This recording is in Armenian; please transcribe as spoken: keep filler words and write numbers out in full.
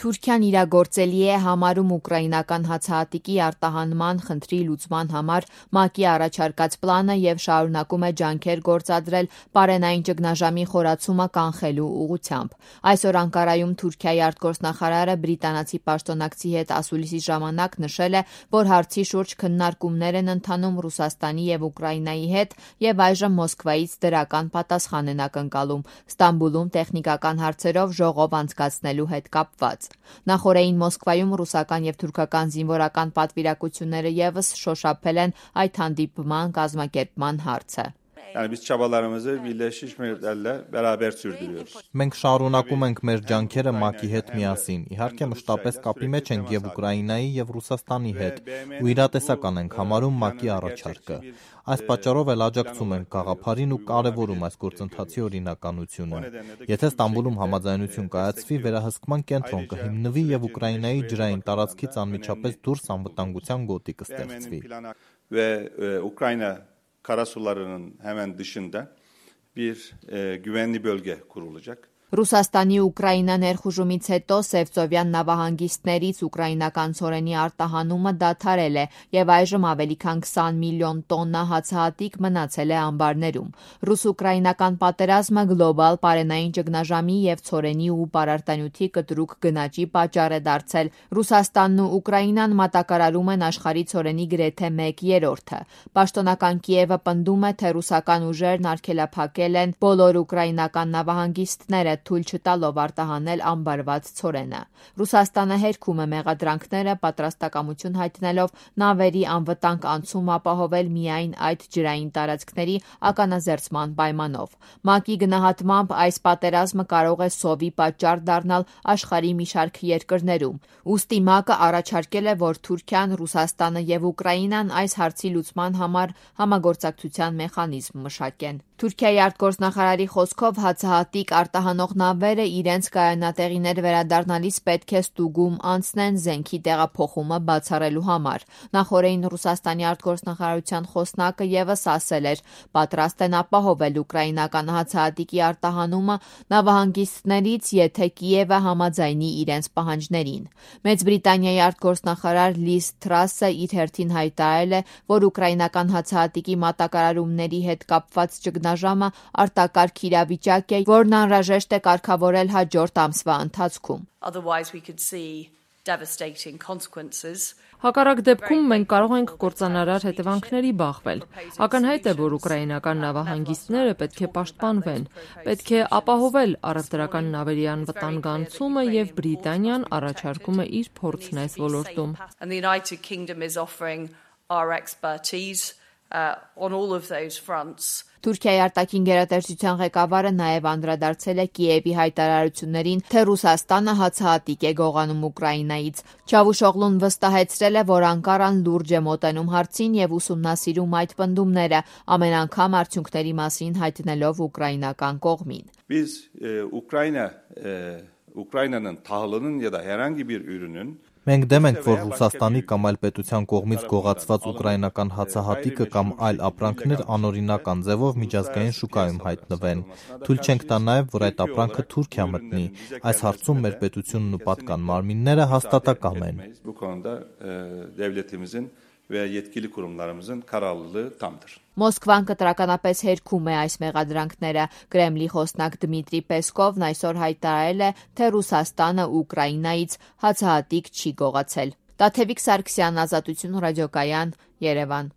Թուրքիան իրագործելի է համարում ուկրաինական հացահատիկի արտահանման խնդրի լուծման համար ՄԱԿ-ի առաջարկած պլանը և շարունակում է ջանքեր գործադրել պարենային ճգնաժամի խորացումը կանխելու ուղղությամբ։ Այսօր Անկարայում Թուրքիայի արտգործնախարարը բրիտանացի պաշտոնակցի հետ ասուլիսի ժամանակ նշել է, որ հարցի շուրջ քննարկումներ են ընթանում Ռուսաստանի և Ուկրաինայի հետ և այժմ Մոսկվայից դրական պատասխան են ակնկալում Ստամբուլում տեխնիկական հարցերով ժողով անցկացնելու հետ կապված։ Նախօրեին Մոսկվայում ռուսական և թուրքական զինվորական պատվիրակությունները ևս շոշափել են այդ հանդիպման կազմակերպման հարցը։ Yani biz çabalarımızı Birleşmiş Milletler'le beraber sürdürüyoruz. Մենք շարունակում ենք մեր ջանքերը ՄԱԿ-ի հետ միասին։ Իհարկե մշտապես կապի մեջ ենք եւ Ուկրաինայի եւ Ռուսաստանի հետ ու իրատեսական ենք համարում ՄԱԿ-ի առաջարկը։ Այս պատճառով էլ աջակցում ենք գաղափարին ու կարևորում այս գործընթացի օրինականությունը։ Եթե Ստամբուլում համաձայնություն կայացվի, վերահսկման կենտրոն կհիմնվի եւ Ուկրաինայի ջրային տարածքից անմիջապես դուրս անվտանգության գոտի կստեղծվի։ Ve e, Ukrayna karasularının hemen dışında bir e, güvenli bölge kurulacak. Ռուսաստանի Ուկրաինա ներխուժումից հետո Սևծովյան նավահանգիստներից ուկրաինական ցորենի արտահանումը դադարել է եւ այժմ ավելի քան քսան միլիոն տոննա հացահատիկ մնացել է ամբարներում։ Ռուս-ուկրաինական պատերազմը գլոբալ պարենային ճգնաժամի եւ ցորենի ու պարարտանյութի կտրուկ գնաճի պատճառ է դարձել։ Ռուսաստանն ու Ուկրաինան մատակարարում են աշխարհի ցորենի գրեթե մեկ երրորդը։ Պաշտոնական Կիևը պնդում է, թե ռուսական ուժերն արգելափակել են բոլոր ուկրաինական նավահանգիստները թույլ չտալով արտահանել ամբարված ցորենը։ Ռուսաստանը հերքում է մեղադրանքները, պատրաստակամություն հայտնելով նավերի անվտանգ անցում ապահովել միայն այդ ջրային տարածքների ականազերծման պայմանով։ ՄԱԿ-ի գնահատմամբ այս պատերազմը կարող է սովի պատճառ դառնալ աշխարհի մի շարք երկրներում։ Ուստի ՄԱԿ-ը առաջարկել է, որ Թուրքիան, Ռուսաստանը եւ Ուկրաինան այս հարցի լուծման համար համագործակցության մեխանիզմ մշակեն։ Թուրքիայի արտգործնախարարի խոսքով հացահատիկ արտահանող նավերը իրենց կայանատեղիներ վերադառնալիս պետք է ստուգում անցնեն զենքի տեղափոխումը բացառելու համար։ Նախօրեին Ռուսաստանի արտգործնախարարության խոսնակը ևս ասել էր, պատրաստ են ապահովել ուկրաինական հացահատիկի արտահանումը նավահանգիստներից, եթե Կիևը համաձայնի իրենց պահանջներին։ Մեծ Բրիտանիայի արտգործնախարար Լիզ Թրասը իր հերթին հայտարարել է, որ ուկրաինական հացահատիկի մատակարարումների հետ կապված ճգնաժամը արտակարգ իրավիճակ է, որն անհրաժեշտ է կարգավորել հաջորդ ամսվա ընթացքում։ Հակառակ դեպքում մենք կարող ենք կործանարար հետևանքների բախվել։ Ակնհայտ է, որ ուկրաինական նավահանգիստները պետք է պաշտպանվեն, պետք է ապահովել առևտրական նավերի անվտանգ անցումը եւ Բրիտանիան առաջարկում է իր փորձն այս ոլորտում։ Uh, on all of those fronts. Թուրքիայի արտաքին գերատեսչության ղեկավարը նաև անդրադարձել է Կիևի հայտարարություններին, թե Ռուսաստանը հացահատիկ է գողանում Ուկրաինայից։ Չավուշօղլուն վստահեցրել է, որ Անկարան լուրջ է մոտենում հարցին եւ ուսումնասիրում այդ պնդումները, ամեն անգամ արդյունքների մասին հայտնելով ուկրաինական կողմին։ Biz e, Ukrayna e, Ukrayna'nın tahılının ya da herhangi bir ürünün Մենք դեմ ենք, որ Ռուսաստանի կամ այլ պետության կողմից գողացված ուկրաինական հացահատիկը կամ այլ ապրանքներ անօրինական ձևով միջազգային շուկայում հայտնվեն։ Թույլ չենք տա նաև, որ այդ ապրանքը Թուրքիա մտնի։ Այս հարցում մեր պետությունն ու պատկան մարմինները հաստատակամ են։ Bu konuda e, devletimizin ve yetkili kurumlarımızın kararlılığı tamdır. Մոսկվան կտրականապես հերքում է այս մեղադրանքները։ Կրեմլի խոսնակ Դմիտրի Պեսկովն այսօր հայտարարել է, թե Ռուսաստանը Ուկրաինայից հացահատիկ չի գողացել։ Տաթևիկ Սարգսյան, Ազատություն ռադիոկայան, Երևան։